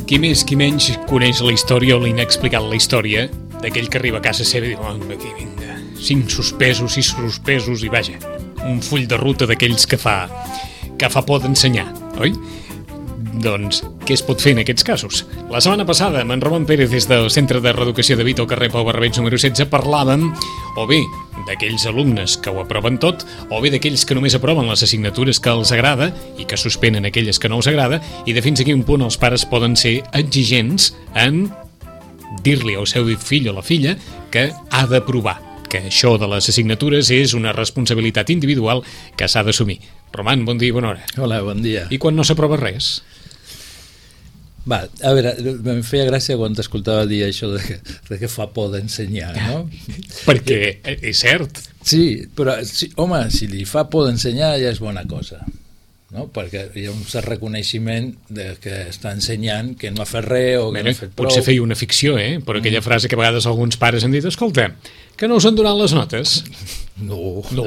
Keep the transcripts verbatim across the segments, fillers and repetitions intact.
Qui més, qui menys coneix la història o l'inexplicat la història d'aquell que arriba a casa seva i diu, oh, aquí vinga, cinc suspesos, sis suspesos i vaja, un full de ruta d'aquells que fa que fa por d'ensenyar, oi? Doncs, què es pot fer en aquests casos? La setmana passada, amb en Roman Pérez des del Centre de Reeducació de Vito, al carrer Pau Barrabets número setze, parlàvem o bé d'aquells alumnes que ho aproven tot, o bé d'aquells que només aproven les assignatures que els agrada i que suspenen aquelles que no els agrada, i de fins a quin punt els pares poden ser exigents en dir-li al seu fill o la filla que ha d'aprovar, que això de les assignatures és una responsabilitat individual que s'ha d'assumir. Roman, bon dia i bona hora. Hola, bon dia. I quan no s'aprova res? Va, a veure, em feia gràcia quan t'escoltava dir això de que, de que fa por d'ensenyar, no? Perquè és cert. Sí, però, sí, home, si li fa por d'ensenyar ja és bona cosa, no? Perquè hi ha un cert reconeixement de que està ensenyant, que no ha fet res o que Bé, no ha fet prou. potser feia una ficció, eh? Però aquella frase que a vegades alguns pares han dit, escolta, que no us han donat les notes? No. No,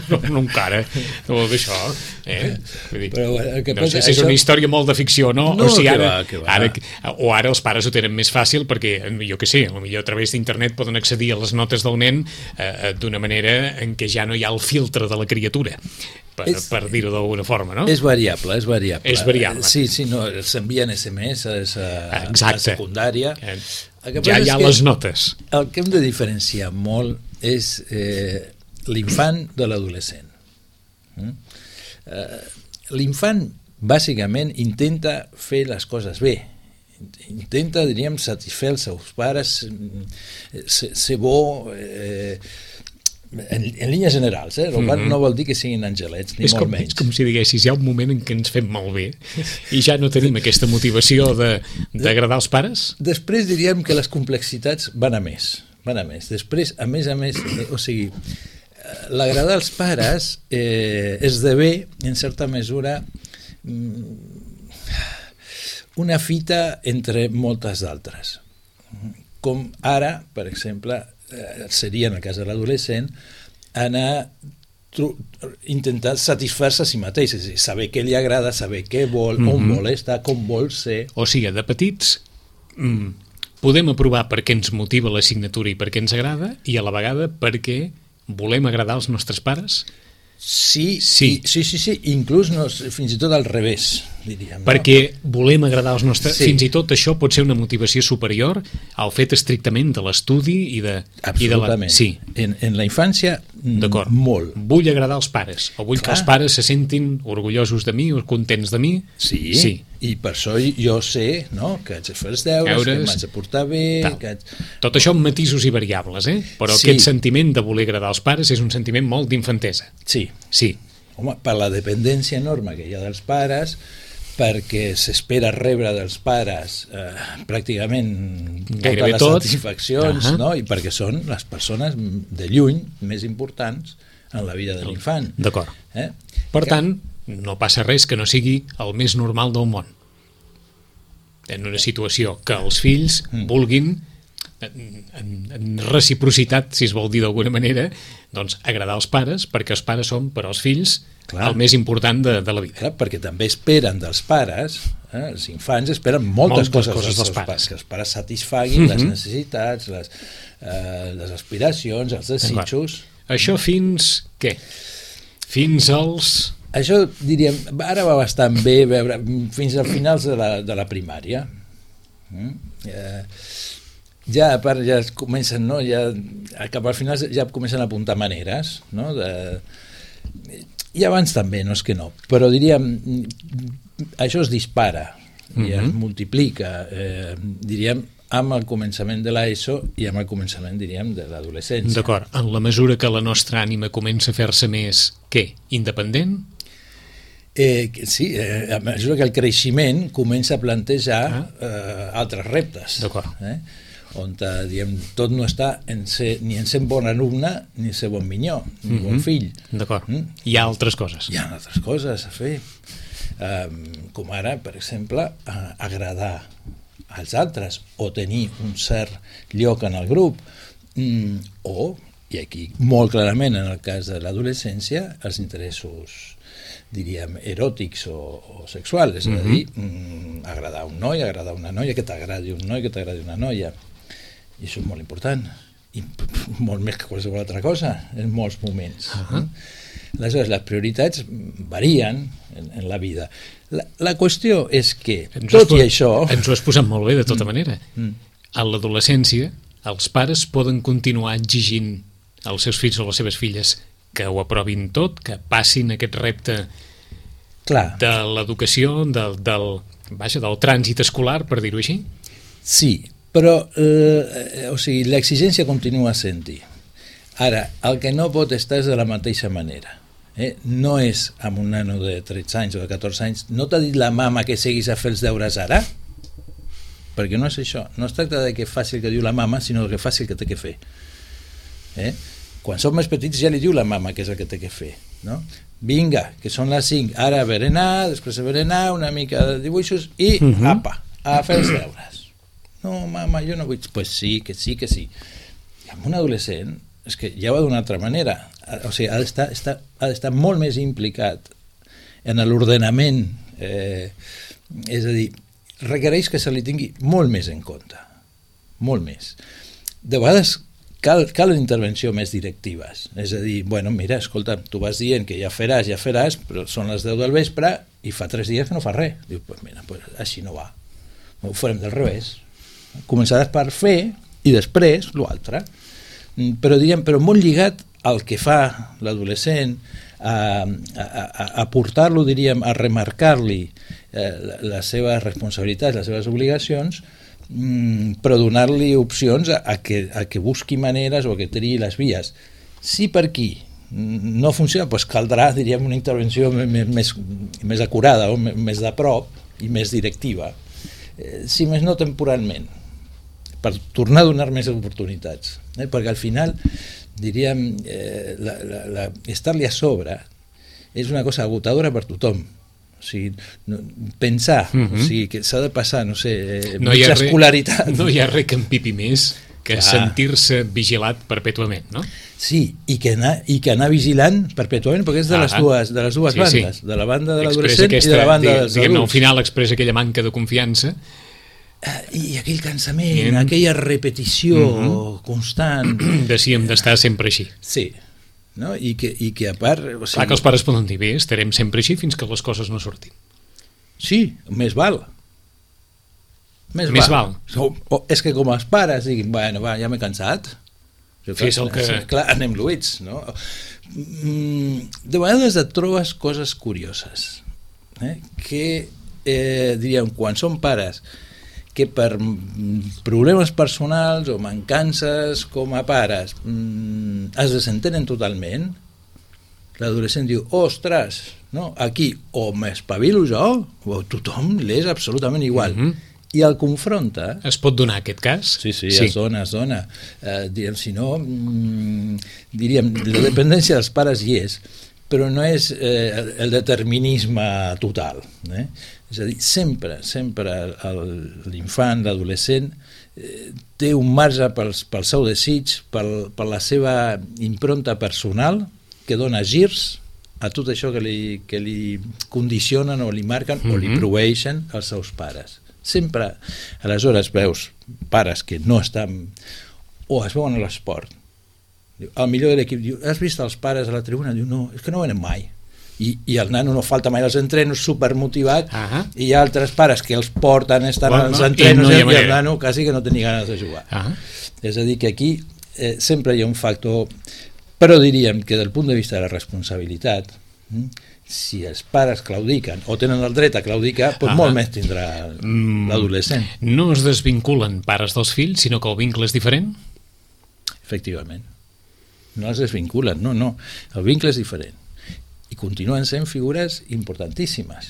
no, no encara. No, d'això, eh? Vull dir, Però, bueno, el que no passa, sé si és això... una història molt de ficció, no? No, o sigui, que ara, va, que va. ara, o ara els pares ho tenen més fàcil perquè, jo què sé, potser a través d'internet poden accedir a les notes del nen eh, d'una manera en què ja no hi ha el filtre de la criatura, per, és, per dir-ho d'alguna forma, no? És variable, és variable. És variable. Sí, sí, no, s'envien S M S a, a secundària. Eh, El que ja passa hi ha és que les notes. El que hem de diferenciar molt és eh, l'infant de l'adolescent. Mm? Eh, l'infant, bàsicament, intenta fer les coses bé. Intenta, diríem, satisfer els seus pares, ser, ser bo... Eh, En, en línies generals, eh? El mm-hmm. no vol dir que siguin angelets, ni és molt com, menys. És com si diguessis, hi ha un moment en què ens fem malbé i ja no tenim aquesta motivació d'agradar als pares? Després diríem que les complexitats van a més, van a més. Després, a més a més, eh, o sigui, l'agradar als pares eh, esdevé, en certa mesura, una fita entre moltes d'altres. Com ara, per exemple, seria, en el cas de l'adolescent, anar intentar satisfer-se a si mateix, és a dir, saber què li agrada, saber què vol, mm-hmm. on vol estar, com vol ser. O sigui, de petits mm, podem aprovar perquè ens motiva l'assignatura i perquè ens agrada, i a la vegada perquè volem agradar als nostres pares? Sí, sí, sí, sí, sí. Inclús no, fins i tot al revés, diríem. Perquè no? volem agradar als nostres... Sí. Fins i tot això pot ser una motivació superior al fet estrictament de l'estudi i de... Absolutament. I de la... Sí. En, en la infància, d'acord. Molt. Vull agradar als pares, o vull Clar. que els pares se sentin orgullosos de mi o contents de mi. Sí, sí. I per això jo sé, no?, que haig de fer els deures, Eures, que m'haig de portar bé... Que haig... Tot això amb matisos i variables, eh? Però sí. Aquest sentiment de voler agradar als pares és un sentiment molt d'infantesa. Sí. Sí. Home, per la dependència enorme que hi ha dels pares, perquè s'espera rebre dels pares eh, pràcticament Gairebé totes les tot. satisfaccions, uh-huh. no? I perquè són les persones de lluny més importants en la vida de l'infant. D'acord. Eh? Per que... tant, no passa res que no sigui el més normal del món. En una situació que els fills mm. vulguin, en, en, en reciprocitat, si es vol dir d'alguna manera, doncs agradar als pares, perquè els pares són per als fills Clar. el més important de, de la vida. Clar, perquè també esperen dels pares, eh, els infants esperen moltes, moltes coses, coses dels pares. pares, que els pares satisfaguin mm-hmm. les necessitats, les, eh, les aspiracions, els desitjos. Això fins què? Fins als... Això, diríem, ara va bastant bé veure, fins als finals de la, de la primària. Mm? Eh, ja a part ja es comencen, no? Ja, cap al final ja comencen a apuntar maneres, no? De, i abans també, no és que no, però diríem, això es dispara i mm-hmm. es multiplica, eh, diríem, amb el començament de l'ESO i amb el començament, diríem, de l'adolescència. D'acord, en la mesura que la nostra ànima comença a fer-se més, què, independent? Eh, sí, eh, a mesura que el creixement comença a plantejar ah. eh, altres reptes. D'acord. Eh? On eh, diem, tot no està en ser, ni en ser bon alumne ni en ser bon minyó, ni mm-hmm. bon fill. D'acord. Mm? Hi ha altres coses. Hi ha altres coses a fer. Eh, com ara, per exemple, eh, agradar als altres o tenir un cert lloc en el grup mm, o, i aquí molt clarament en el cas de l'adolescència, els interessos diríem, eròtics o, o sexuals, és a dir, mm, agradar un noi, agradar una noia, que t'agradi un noi, que t'agradi una noia. I això és molt important. I molt més que qualsevol altra cosa, en molts moments. Uh-huh. Aleshores, les prioritats varien en, en la vida. La, la qüestió és que, ens tot i això... Ens ho has posat molt bé, de tota mm. manera. Mm. A l'adolescència, els pares poden continuar exigint als seus fills o les seves filles que ho aprovin tot, que passin aquest repte Clar. de l'educació, del, del, vaja, del trànsit escolar, per dir-ho així? Sí, però eh, o sigui, l'exigència continua sent-hi. Ara, el que no pot estar és de la mateixa manera. Eh? No és amb un nano de tretze anys o de catorze anys, no t'ha dit la mama que seguis a fer els deures ara? Perquè no és això. No es tracta de que faci el que diu la mama, sinó que faci el que té que fer. Eh? Quan som més petits ja li diu la mama que és el que té que fer, no? Vinga, que són les cinc, ara berenar, després de berenar, una mica de dibuixos i uh-huh. apa, a fer els deures. No, mama, jo no vull... Pues sí, que sí, que sí. I amb un adolescent és que ja va d'una altra manera. O sigui, ha d'estar, està, ha d'estar molt més implicat en l'ordenament, eh, és a dir, requereix que se li tingui molt més en compte, molt més. De vegades cal, cal intervenció més directives, és a dir, bueno, mira, escolta, tu vas dient que ja faràs, ja faràs, però són les deu del vespre i fa tres dies que no fa res. Diu, pues mira, pues així no va, ho farem del revés, començaràs per fer i després l'altre, però diguem, però molt lligat al que fa l'adolescent, a, a, a, a portar-lo, diríem, a remarcar-li eh, les seves responsabilitats, les seves obligacions, però donar-li opcions a, a, que, a que busqui maneres o a que triï les vies. Si per aquí no funciona, doncs caldrà, diríem, una intervenció més, més, més acurada o més de prop i més directiva, eh, si més no temporalment, per tornar a donar més oportunitats, eh? Perquè al final, diríem, eh, la, la, la, estar-li a sobre és una cosa agotadora per tothom. O sigui, no, pensar, uh-huh. o sigui, que s'ha de passar, no sé, eh, no mitja escolaritat. No hi ha res que empipi més que Clar. sentir-se vigilat perpètuament, no? Sí, i que anar, i que anar vigilant perpètuament, perquè és de les dues, de les dues sí, bandes, sí. de la banda de l'adolescent i de la banda dels adults. Al final expressa aquella manca de confiança. I aquell cansament, mm. aquella repetició mm-hmm. constant. De si hem d'estar sempre així. Sí. No? I, que, i que a part... O sigui... Clar que els pares poden dir, bé, estarem sempre així fins que les coses no surtin. Sí, més val. Més, més val. val. O, o, és que com els pares diguin, bueno, va, ja m'he cansat. Fes el que... Clar, anem luïts, no? De vegades et trobes coses curioses, eh? que, eh, diríem, quan són pares que per problemes personals o mancances com a pares mmm, es desentenen totalment, l'adolescent diu, ostres, no? Aquí o m'espavilo jo o tothom l'és absolutament igual. Mm-hmm. I el confronta... Es pot donar aquest cas? Sí, sí, sí. es dona, es dona. Eh, diríem, si no, mmm, diríem, la dependència dels pares hi és, però no és eh, el determinisme total, eh? És a dir, sempre, sempre l'infant, l'adolescent, eh, té un marge pel, pel seu desig, pel, per la seva impronta personal, que dona girs a tot això que li, que li condicionen o li marquen mm-hmm. o li proveeixen els seus pares. Sempre, aleshores, veus pares que no estan, o es veuen a l'esport. El millor de l'equip diu, has vist els pares a la tribuna? Diu, no, és que no venen mai. I, i el nano no falta mai als entrenos, supermotivat, uh-huh. i hi ha altres pares que els porten, estan bueno, als entrenos, i, no i el nano quasi que no té ni ganes de jugar. Uh-huh. És a dir, que aquí eh, sempre hi ha un factor, però diríem que del punt de vista de la responsabilitat, hm, si els pares claudiquen o tenen el dret a claudicar, doncs uh-huh. molt més tindrà l'adolescent. No es desvinculen pares dels fills, sinó que el vincle és diferent? Efectivament. No es desvinculen, no, no. El vincle és diferent. I continuen sent figures importantíssimes.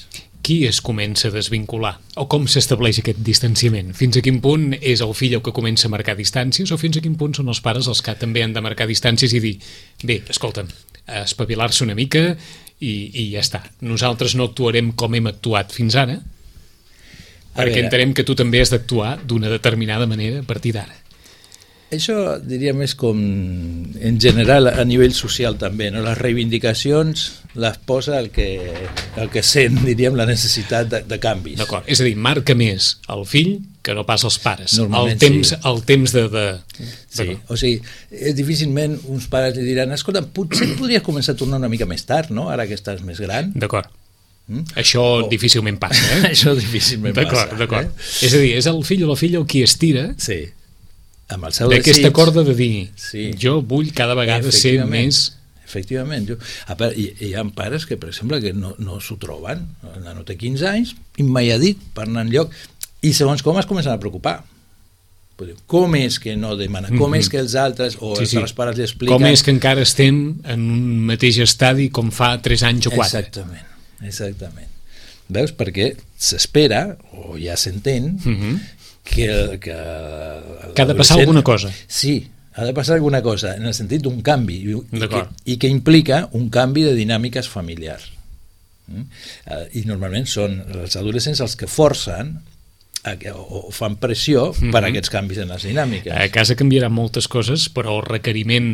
Qui es comença a desvincular? O com s'estableix aquest distanciament? Fins a quin punt és el fill el que comença a marcar distàncies o fins a quin punt són els pares els que també han de marcar distàncies i dir, bé, escolta'm, espavilar-se una mica i, i ja està. Nosaltres no actuarem com hem actuat fins ara, perquè entenem que tu també has d'actuar d'una determinada manera a partir d'ara. Això diria més com en general a nivell social també, no? Les reivindicacions les posa el que, el que sent, diríem, la necessitat de, de canvis. D'acord, és a dir, marca més el fill que no pas els pares. Normalment el temps, sí. El temps de... de... Sí, o sigui, és difícilment uns pares li diran, escolta, potser podries començar a tornar una mica més tard, no? Ara que estàs més gran. D'acord. Mm? Això oh. difícilment passa, eh? Això difícilment d'acord, passa. D'acord, eh? És a dir, és el fill o la filla el qui estira... Sí. Amb el seu d'aquesta corda de dir, sí. jo vull cada vegada ser més... Efectivament. Jo, a part, hi, hi ha pares que, per exemple, que no, no s'ho troben. El nano té quinze anys i mai ha dit per anar enlloc. I segons com es comencen a preocupar. Com és que no demana? Com mm-hmm. és que els altres o sí, els sí. altres pares li expliquen... Com és que encara estem en un mateix estadi com fa tres anys o quatre? Exactament. Exactament. Veus? Perquè s'espera, o ja s'entén, mm-hmm. que, que, que ha de passar alguna cosa. Sí, ha de passar alguna cosa, en el sentit d'un canvi, i, i, que, i que implica un canvi de dinàmiques familiars. Mm? Uh, I normalment són els adolescents els que forcen a que, o, o fan pressió mm-hmm. per a aquests canvis en les dinàmiques. A casa canviaran moltes coses, però el requeriment,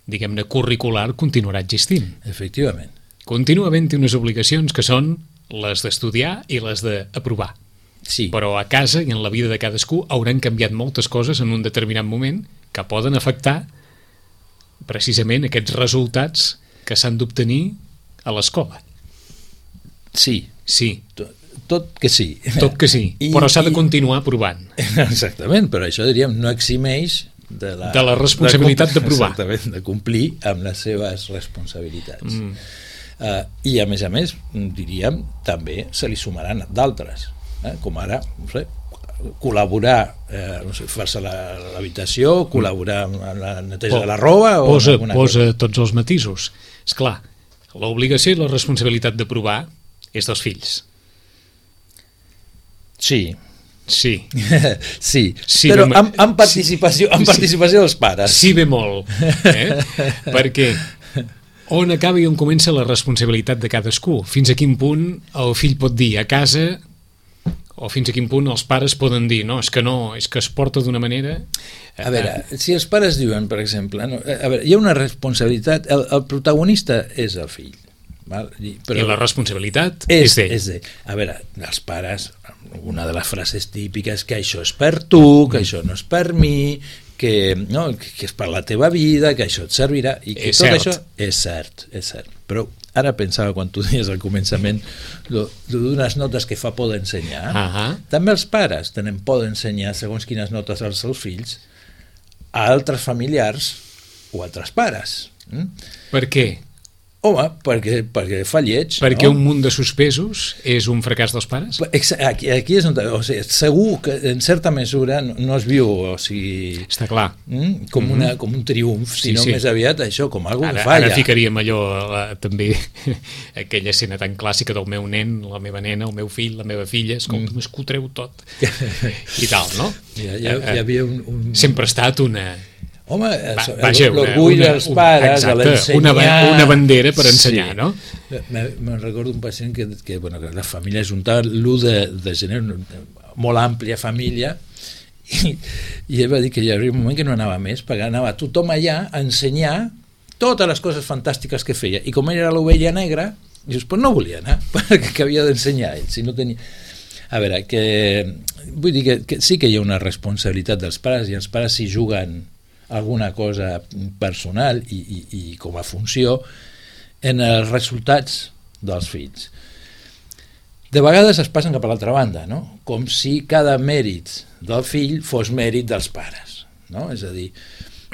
diguem-ne, curricular continuarà existint. Efectivament. Continua havent-hi unes obligacions que són les d'estudiar i les d'aprovar. Sí. Però a casa i en la vida de cadascú hauran canviat moltes coses en un determinat moment que poden afectar precisament aquests resultats que s'han d'obtenir a l'escola. Sí. Sí. Tot, tot que sí. Tot que sí, I, però s'ha de continuar provant. Exactament, però això, diríem, no eximeix de la, de la responsabilitat de provar. Exactament, de complir amb les seves responsabilitats. Mm. Uh, I a més a més, diríem, també se li sumaran d'altres. Eh, com ara, no sé, col·laborar, eh, no sé, fer-se l'habitació, col·laborar en la neteja de la roba o posa, alguna posa cosa. Tots els matisos. És clar, l'obligació i la responsabilitat de provar és dels fills. Sí. Sí. sí. sí, però bé, amb, amb participació, amb participació dels pares. Sí, bé molt. Eh? Perquè on acaba i on comença la responsabilitat de cadascú? Fins a quin punt el fill pot dir a casa... o fins a quin punt els pares poden dir no, és que no, és que es porta d'una manera... A veure, si els pares diuen, per exemple, no, a veure, hi ha una responsabilitat, el, el protagonista és el fill, val? I, però I la responsabilitat és, és d'ell. A veure, els pares, una de les frases típiques, que això és per tu, que mm. això no és per mi, que, no, que és per la teva vida, que això et servirà, i que és tot cert. això és cert, és cert. Però ara pensava, quan tu deies al començament d'unes notes que fa por d'ensenyar, uh-huh. també els pares tenen por d'ensenyar segons quines notes als seus fills a altres familiars o altres pares. Mm? Per què? Home, perquè, perquè fa lleig. Perquè no? Un munt de suspesos és un fracàs dels pares? Aquí, aquí és on... O sigui, segur que en certa mesura no, no es viu, o sigui... Està clar. Mm, com, mm-hmm. una, com un triomf, sí, sinó sí. més aviat això, com algú ara, que falla. Ara ficaríem allò, la, també, aquella escena tan clàssica del meu nen, la meva nena, el meu fill, la meva filla, escolta, mm. m'esco treu tot. I tal, no? Ja, ja, ja havia un, un... Sempre ha estat una... Home, l'orgull dels pares, exacte, a l'ensenyar... Una, una bandera per ensenyar, sí. no? Me'n recordo un pacient que, que, bueno, que la família es juntava l'u de, de gener, una molt àmplia família, i, i ell va dir que hi havia un moment que no anava més, perquè anava tothom allà a ensenyar totes les coses fantàstiques que feia, i com ell era l'ovella negra, dius, pues no volia anar, perquè havia d'ensenyar ell, si no tenia... A veure, que vull dir que, que sí que hi ha una responsabilitat dels pares, i els pares s'hi juguen alguna cosa personal i, i, i com a funció en els resultats dels fills. De vegades es passen cap a l'altra banda, no? Com si cada mèrit del fill fos mèrit dels pares, no? És a dir,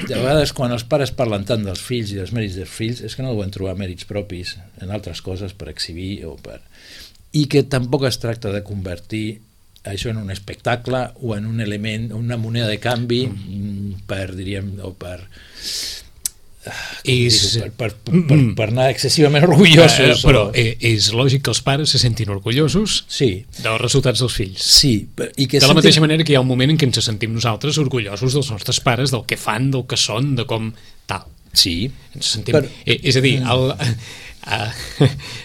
de vegades quan els pares parlen tant dels fills i dels mèrits dels fills és que no deuen trobar mèrits propis en altres coses per exhibir o per... i que tampoc es tracta de convertir això en un espectacle o en un element, una moneda de canvi mm. per, diríem, o per... És... Per, per, per, per, per anar excessivament orgullosos. Uh, però o... és lògic que els pares se sentin orgullosos sí. dels resultats dels fills. Sí. I que de la sentim... mateixa manera que hi ha un moment en què ens sentim nosaltres orgullosos dels nostres pares, del que fan, del que són, de com tal. Sí. Ens sentim... Però... És a dir, el, Ah,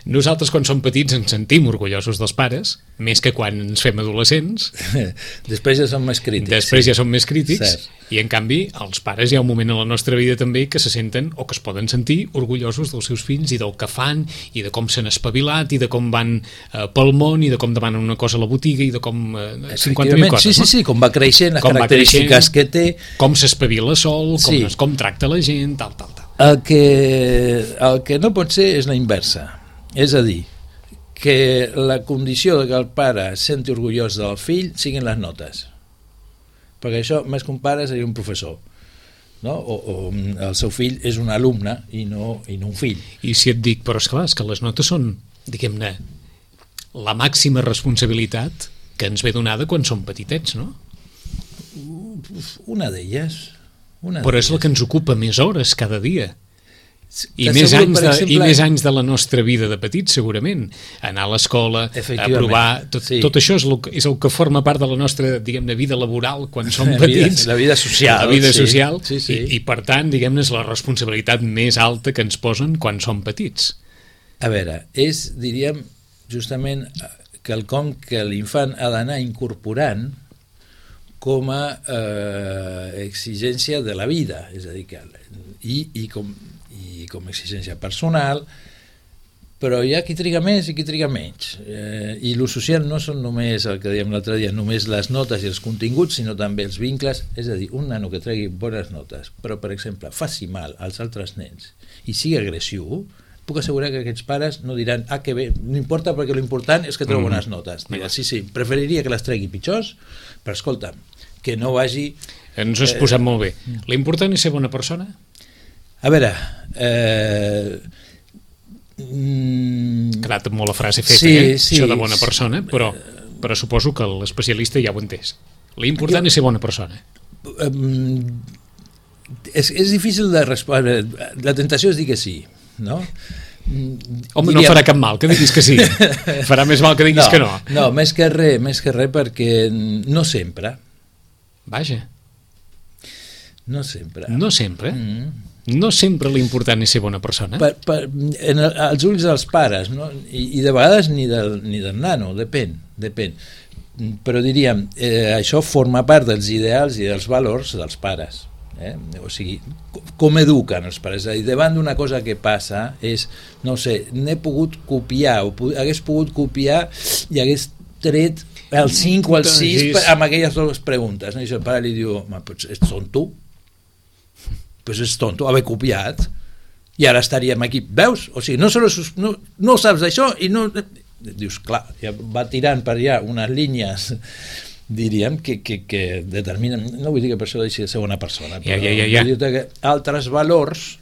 nosaltres quan som petits ens sentim orgullosos dels pares, més que quan ens fem adolescents. Després ja som més crítics. Després sí. ja som més crítics, Cert. I en canvi els pares hi ha un moment en la nostra vida també que se senten o que es poden sentir orgullosos dels seus fills i del que fan i de com s'han espavilat i de com van eh, pel món i de com demanen una cosa a la botiga i de com eh, cinquanta mil coses. Sí, sí, sí, com va creixent, les com característiques que té. Com s'espavila sol, com, Sí. com tracta la gent, tal, tal, tal. El que, el que no pot ser és la inversa. És a dir, que la condició de que el pare es senti orgullós del fill siguin les notes. Perquè això, més que un pare, seria un professor. No? O, o el seu fill és un alumne i no, i no un fill. I si et dic, però esclar, és que les notes són, diguem-ne, la màxima responsabilitat que ens ve donada quan som petitets, no? Una d'elles. Una Però és la que ens ocupa més hores cada dia. I T'asseguro, més, anys per de, exemple, I més anys de la nostra vida de petits, segurament. Anar a l'escola, aprovar... Tot, sí. tot això és el, és el que forma part de la nostra, diguem-ne, vida laboral quan som La petits. vida, la vida social. La vida sí. social. Sí, sí. I, I, per tant, diguem-ne, és la responsabilitat més alta que ens posen quan som petits. A veure, és, diríem, justament quelcom que l'infant ha d'anar incorporant com a eh, exigència de la vida, és a dir, que, i, i, com, i com a exigència personal, però hi ha qui triga més i qui triga menys. Eh, I lo social no són només, el que dèiem l'altre dia, només les notes i els continguts, sinó també els vincles, és a dir, un nano que tregui bones notes, però, per exemple, faci mal als altres nens i sigui agressiu, puc assegurar que aquests pares no diran ah, que bé, no importa perquè l'important és que treu bones notes. Diuen, sí, sí, preferiria que les tregui pitjors, però escolta, que no vagi... Ens ho has posat molt bé. L'important és ser bona persona? A veure... Eh... Mm... Ha quedat molt la frase feta, sí, eh? Sí, això de bona persona, però, però suposo que l'especialista ja ho ha entès. L'important jo... és ser bona persona. Um, és, és difícil de respondre. La tentació és dir que sí, no? Home, diria... no farà cap mal que diguis que sí. Farà més mal que diguis no, que no. No, més que res, més que res perquè no sempre. Vaja. No sempre. No sempre? Mm. No sempre l'important és ser bona persona? Per, per, en el, als ulls dels pares, no? I, i de vegades ni del, ni del nano, depèn, depèn. Però diríem, eh, això forma part dels ideals i dels valors dels pares. Eh? O sigui, com eduquen els pares? I davant d'una cosa que passa és, no sé, n'he pogut copiar o hagués pogut copiar i hagués tret el cinc o el sis amb aquelles dues preguntes, no? I el pare li diu, pues ets tonto, pues és tonto haver copiat i ara estaríem aquí, veus? O sigui, no, solo, no, no saps d'això i no... Dius, clar, ja va tirant per allà unes línies, diríem, que, que, que determinen, no vull dir que per això deixi de ser una persona, però ja, ja, ja, ja. vull dir que altres valors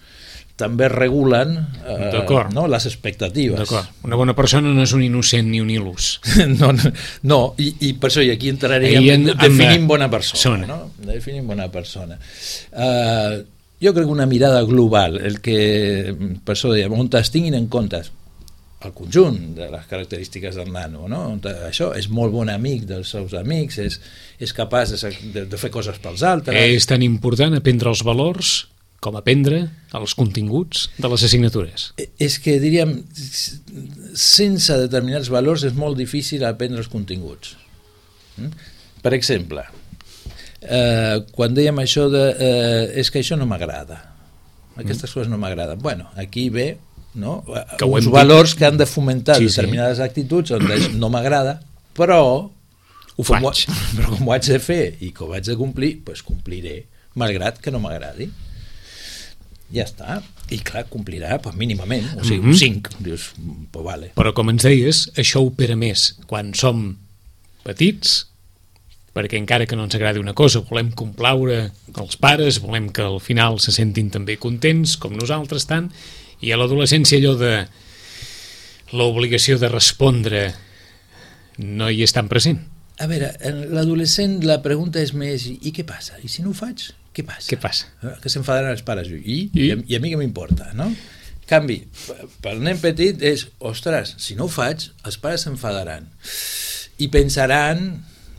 també regulen eh, no, les expectatives. D'acord. Una bona persona no és un innocent ni un il·lús. no, no, no i, i per això i aquí entraríem en, definim bona persona. No? Definim bona persona. Uh, jo crec que una mirada global, el que per això dèiem, on es tinguin en compte el conjunt de les característiques del nano, no? On això és molt bon amic dels seus amics, és, és capaç de, de, de fer coses pels altres. És tan important aprendre els valors com aprendre els continguts de les assignatures. És que, diríem, sense determinats valors és molt difícil aprendre els continguts. Per exemple, eh, quan dèiem això de eh, és que això no m'agrada, aquestes mm. coses no m'agraden, bueno, aquí ve no? Que uns valors dit. Que han de fomentar sí, determinades sí. actituds on no m'agrada, però ho faig. Com, però com ho haig de fer i com ho haig de complir, doncs compliré, malgrat que no m'agradi. Ja està, i clar, complirà pues, mínimament, o sigui, mm-hmm. un cinc, dius, pues vale. Però com ens deies, això opera més quan som petits, perquè encara que no ens agradi una cosa, volem complaure els pares, volem que al final se sentin també contents, com nosaltres tant, i a l'adolescència allò de l'obligació de respondre no hi és tan present. A veure, en l'adolescent la pregunta és més, i què passa? I si no ho faig? Què passa? Què passa? Que s'enfadaran els pares. I, I? I, I a mi què m'importa, no? En canvi, pel nen petit és, ostres, si no ho faig, els pares s'enfadaran. I pensaran,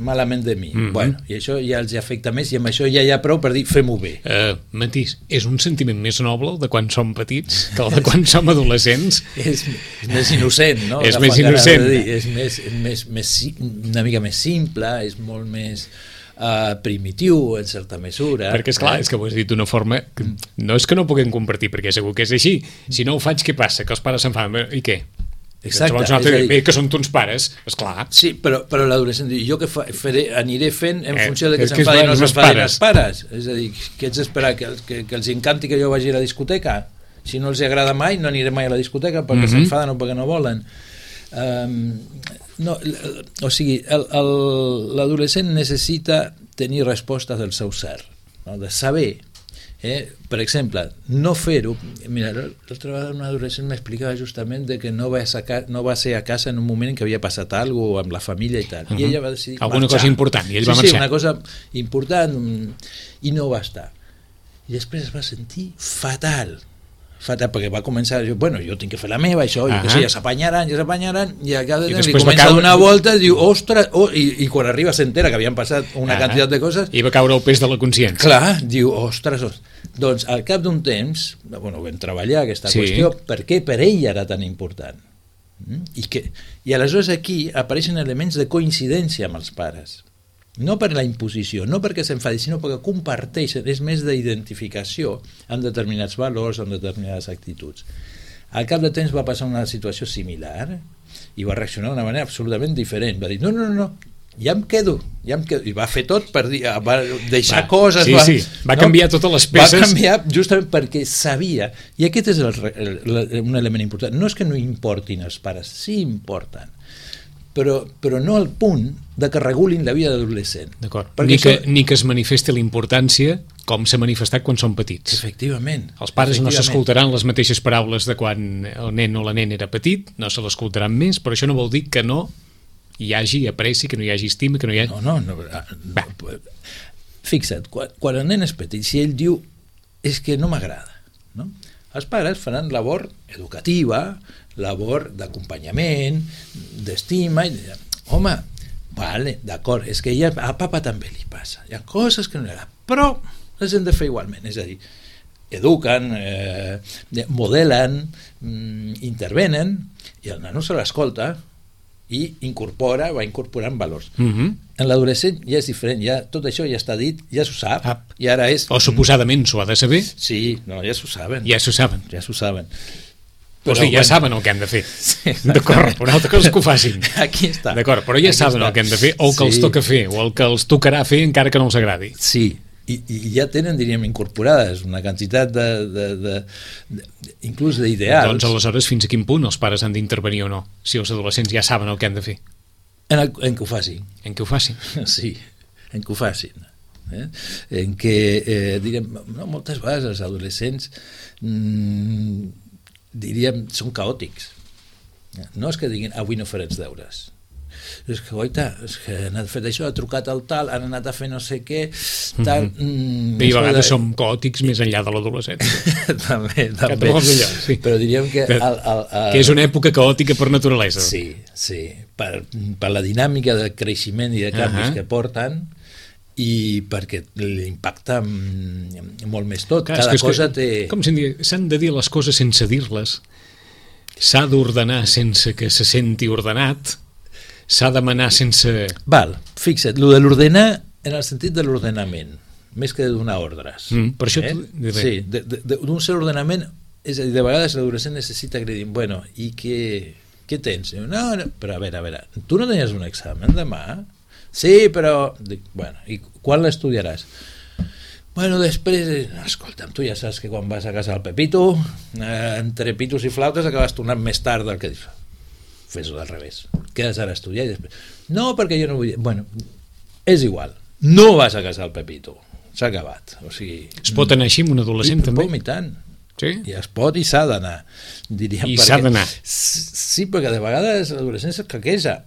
malament de mi. Mm-hmm. Bueno, i això ja els afecta més i amb això ja hi ha prou per dir fem-ho bé. Uh, Matís, és un sentiment més noble el de quan som petits que el de quan som adolescents? és, és més innocent, no? És més innocent. Dir, és més, més, més, una mica més simple, és molt més uh, primitiu en certa mesura. Perquè és clar, eh? és que ho has dit d'una forma que no és que no puguem compartir, perquè segur que és així. Si no ho faig, què passa? Que els pares s'enfaden. I què? Exacte. Llavors, no, dir, bé, que són uns pares, esclar. Sí, però, però l'adolescent diu, jo que fa, faré, aniré fent en eh, funció de que s'enfadin o no s'enfadin els pares. És a dir, què ets d'esperar? Que, que, que els encanti que jo vagi a la discoteca? Si no els agrada mai, no aniré mai a la discoteca perquè mm-hmm. s'enfaden o perquè no volen. Um, no, o sigui, l'adolescent necessita tenir respostes del seu ser, no? De saber. Eh? Per exemple, no fer-ho. Mira, l'altra vegada un adolescent m'explicava justament de que no va, sacar, no va ser a casa en un moment en què havia passat alguna cosa amb la família i tal. Uh-huh. I ella va decidir alguna marxar. Cosa important, i ell sí, va marxar. Sí, una cosa important, i no va estar. I després es va sentir fatal. Fatal, perquè va començar a dir, bueno, jo tinc que fer la meva, això, jo que sé, ja s'apanyaran, ja s'apanyaran, i a cada temps li comença a donar voltes, diu, ostres, oh, i, i quan arriba s'entera que havien passat una ah, quantitat de coses... I va caure el pes de la consciència. Clar, diu, ostres, ostres. Doncs al cap d'un temps, bueno, vam treballar aquesta sí. qüestió, per què per ell era tan important? Mm? I, que, I aleshores aquí apareixen elements de coincidència amb els pares. No per la imposició, no perquè s'enfadi, sinó perquè comparteixen, és més d'identificació amb determinats valors, amb determinades actituds. Al cap de temps va passar una situació similar i va reaccionar d'una manera absolutament diferent. Va dir, no, no, no, ja em quedo, ja em quedo. I va fer tot per dir, va deixar va, coses. Sí, va, sí, va no? canviar totes les peces. Va canviar justament perquè sabia, i aquest és el, el, el, un element important. No és que no importin els pares, sí importen. Però, però no al punt de que regulin la vida d'adolescent. D'acord. Ni, que, això... ni que es manifesti la importància com s'ha manifestat quan són petits. Efectivament. Els pares efectivament. No s'escoltaran les mateixes paraules de quan el nen o la nena era petit, no se l'escoltaran més, però això no vol dir que no hi hagi apreci, que no hi hagi estima, que no hi hagi... No, no, no. no. Fixa't, quan, quan el nen és petit, si ell diu és que no m'agrada, no? Els pares faran labor educativa, labor d'acompanyament, d'estima, i home, vale, d'acord, és que ella, a papa també li passa, hi ha coses que no li agraden, però les hem de fer igualment, és a dir, eduquen, eh, modelen, mm, intervenen, i el nano se l'escolta i incorpora, va incorporant valors. Mm-hmm. En l'adolescent ja és diferent, ja tot això ja està dit, ja s'ho sap, ah. i ara és... O suposadament s'ho ha de saber. Sí, no, ja s'ho saben. Ja s'ho saben. Ja s'ho saben. Però, o sigui, ja bueno, saben el que han de fer. Sí, d'acord, però una altra cosa és que ho facin. Aquí està. D'acord, però ja Aquí saben està. el que han de fer, o el que sí. els toca fer, o el que els tocarà fer encara que no els agradi. Sí, i, i ja tenen, diríem, incorporades una quantitat de, de, de, de inclús d'ideals. Doncs aleshores fins a quin punt els pares han d'intervenir o no, si els adolescents ja saben el que han de fer. En, el, en què ho facin. En què ho facin. Sí, en què ho facin. Eh? En què, eh, diríem, no, moltes vegades els adolescents mmm, diríem, són caòtics. No és que diguin, avui no faré els deures. És que, oita, és que han fet això, ha trucat al tal, han anat a fer no sé què, tal... Mm-hmm. Bé, i a vegades de... som caòtics més enllà de l'adolescència. també, també. Allò, sí. Però diríem que... Que, el, el, el... que és una època caòtica per naturalesa. Sí, sí. Per, per la dinàmica de creixement i de canvis uh-huh. que porten, i perquè l'impacta molt més tot. Clar, cada que cosa que, té... Com s'han dit, s'han de dir les coses sense dir-les, s'ha d'ordenar sense que se senti ordenat, s'ha de manar sense... Val, fixa't, lo de l'ordenar en el sentit de l'ordenament, més que de donar ordres. Mm, per això... Eh? Tu... Sí, d'un cert ordenament, és a dir, de vegades l'adolescent necessita que li diguin, bueno, i què, què tens? No, no, però a veure, a veure, tu no tenies un examen demà? Sí, però... Dic, bueno, i quan l'estudiaràs? Bueno, després, escolta'm, tu ja saps que quan vas a casa del Pepito, eh, entre pitos i flautes acabes tornant més tard del que dius. Fes-ho al revés. Quedes ara a estudiar i després... No, perquè jo no vull... Bueno, és igual. No vas a casa del Pepito. S'ha acabat. O sigui... Es pot anar així amb un adolescent, I, també? I tant. Sí? I es pot i s'ha d'anar. Diríem, I perquè... s'ha d'anar. Sí, perquè de vegades l'adolescent es caqueja.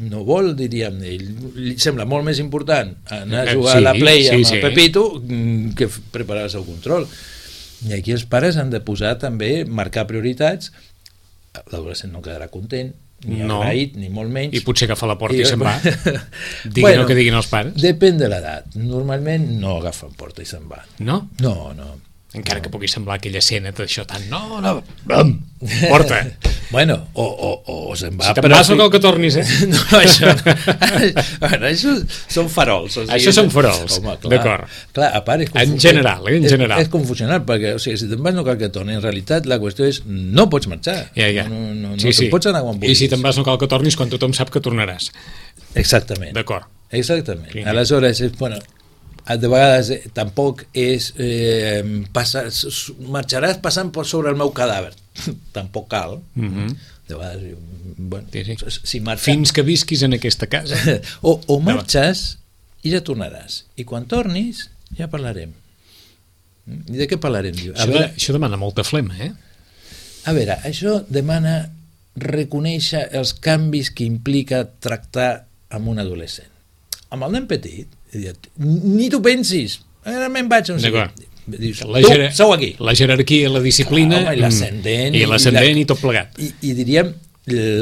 No vol, diríem, ell, li sembla molt més important anar a jugar sí, a la Play sí, amb sí. el Pepito que preparar el seu control. I aquí els pares han de posar també, marcar prioritats. L'adolescent no quedarà content, ni no. agraït, ni molt menys. I potser agafa la porta i, I se'n va. Diguin bueno, el que diguin els pares. Depèn de l'edat. Normalment no agafen porta i se'n van. No? No, no. Encara no. que pugui semblar aquella escena d'això tan... No, no, bam, porta. Bueno, o, o, o se'n va... Si te'n vas, no cal que tornis, eh? No, això... bueno, això són farols. O sigui, això són farols, d'acord. Clar, a part... És en general, eh? En general. És, és confusional, perquè o sigui, si te'n vas no cal que tornis. En realitat, la qüestió és no pots marxar. Ja, ja. No, no, no, sí, no sí. pots anar quan vulguis. I si te'n vas no cal que tornis quan tothom sap que tornaràs. Exactament. D'acord. Exactament. Sí. Aleshores, és, bueno, de vegades eh, tampoc és eh, passar, marxaràs passant per sobre el meu cadàver. Tampoc cal. Mm-hmm. De vegades, bueno, sí, sí. Si marxa... Fins que visquis en aquesta casa. o, o marxes i ja tornaràs. I quan tornis ja parlarem. I de què parlarem? A Això, veure, de, això demana molta flema, eh? A veure, això demana reconèixer els canvis que implica tractar amb un adolescent. Amb el nen petit, ni tu pensis, ara me'n vaig, no sé què. Dius, la, tu, jer sou aquí. La jerarquia, la disciplina... Clar, home, i l'ascendent. I l'ascendent i, i, i tot plegat. I, I diríem,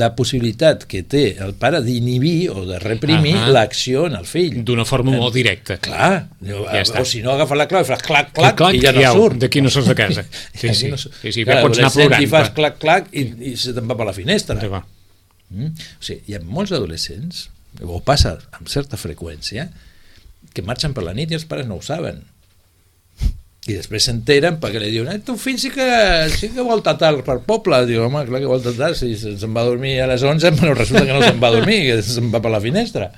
la possibilitat que té el pare d'inhibir o de reprimir uh -huh. l'acció en el fill. D'una forma molt directa. Clar, ja o si no agafa la clau i fas clac, clac, clac i ja no ja, surt. D'aquí no surts de casa. Sí, sí, no sí, sí, clar, pots anar plorant. I fas clac, clac i, i se te'n va per la finestra. Sí, va. Mm? O sigui, hi ha molts adolescents, o passa amb certa freqüència, que marxen per la nit i els pares no ho saben. I després s'enteren perquè li diuen, eh, tu fill sí que, sí que volta tard per poble. Diu, home, clar que volta tard, si se'n va a dormir a les onze, però resulta que no se'n va a dormir, que se'n va per la finestra.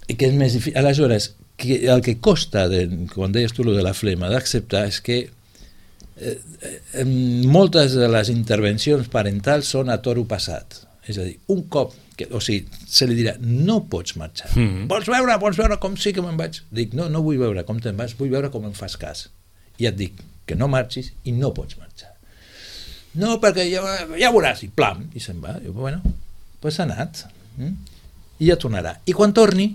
I que és més difícil. Aleshores, que el que costa, de, quan deies tu de la flema, d'acceptar és que eh, eh, moltes de les intervencions parentals són a toro passat. És a dir, un cop, que, o sigui, se li dirà, no pots marxar. Mm-hmm. Vols veure, vols veure com sí que me'n vaig? Dic, no, no vull veure com te'n vas, vull veure com em fas cas. I et dic que no marxis i no pots marxar. No, perquè ja, ja veuràs, i plam, i se'n va. I, bueno, doncs ha anat. Mm? I ja tornarà. I quan torni,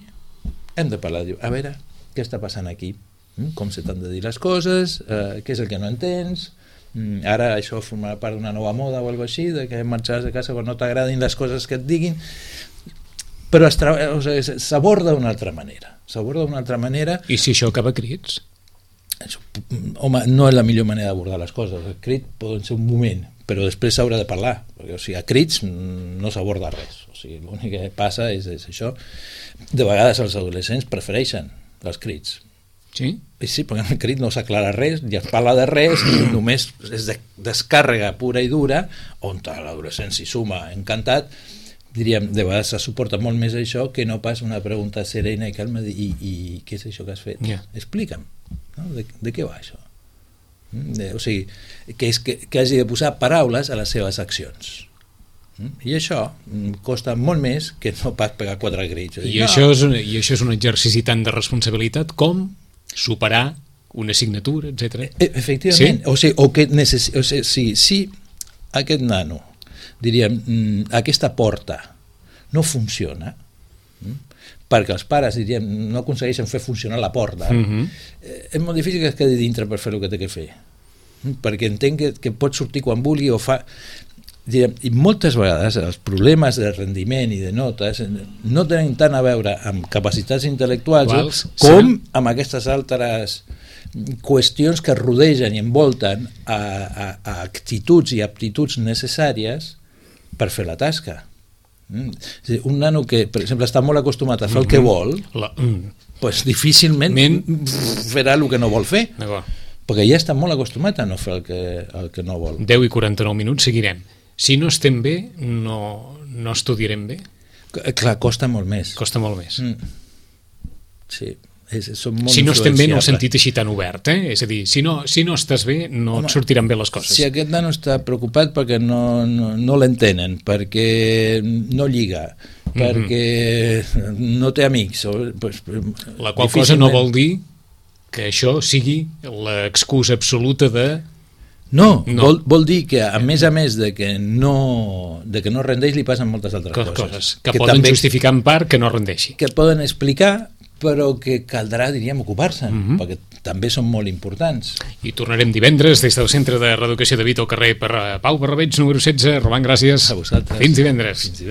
hem de parlar. Diu, a veure, què està passant aquí? Mm? Com se t'han de dir les coses? Eh, què és el que no entens? Mm, ara això formarà part d'una nova moda o alguna així, de que marxaràs de casa quan no t'agradin les coses que et diguin, però es o sigui, s'aborda d'una altra manera s'aborda d'una altra manera. I si això acaba a crits? Això, home, no és la millor manera d'abordar les coses. El crit pot ser un moment, però després s'haurà de parlar, perquè o sigui, a crits no s'aborda res, o sigui, l'únic que passa és, és això. De vegades els adolescents prefereixen els crits. Sí? I sí, perquè en el crit no s'aclara res, ni es parla de res, només és de descàrrega pura i dura, on l'adolescent s'hi suma encantat. Diríem, de vegades se suporta molt més això que no pas una pregunta serena i calma i, i, i què és això que has fet? Yeah. Explica'm, no? de, de què va això? De, o sigui, que, és que, que hagi de posar paraules a les seves accions. I això costa molt més que no pas pegar quatre crits. I, no. això és un, I això és un exercici tant de responsabilitat com superar una assignatura, etcètera. Efectivament. Sí? O sigui, o que necess... o sigui, si, si aquest nano, diríem, aquesta porta no funciona, perquè els pares, diríem, no aconsegueixen fer funcionar la porta, mm-hmm. és molt difícil que es quedi dintre per fer el que té que fer. Perquè entenc que, que pot sortir quan vulgui o fa... Diríem, i moltes vegades els problemes de rendiment i de notes no tenen tant a veure amb capacitats intel·lectuals Quals, com sí. amb aquestes altres qüestions que rodegen i envolten a, a, a actituds i aptituds necessàries per fer la tasca. Mm. dir, un nano que, per exemple, està molt acostumat a fer el que vol, la... pues difícilment Men... farà el que no vol fer, perquè ja està molt acostumat a no fer el que, el que no vol. deu i quaranta-nou minuts, seguirem. Si no estem bé, no, no estudiarem bé? Clar, costa molt més. Costa molt més. Mm. Sí. És, són molt si no estem bé, no ho sentit així tan obert, eh? És a dir, si no, si no estàs bé, no Home, et sortiran bé les coses. Si aquest nano està preocupat perquè no, no, no l'entenen, perquè no lliga, mm-hmm. perquè no té amics... Pues, la qual cosa no vol dir que això sigui l'excusa absoluta de... No, no. Vol, vol dir que a més a més de que no, de que no rendeix li passen moltes altres coses, coses que, que poden també, justificar en part que no rendeixi, que poden explicar però que caldrà, diríem, ocupar-se'n, Mhm. perquè també són molt importants. I tornarem divendres des del Centre de Reeducació de Vita al carrer per Pau Barrabeig, número setze. Roman, gràcies. A vosaltres. Fins divendres. Fins divendres.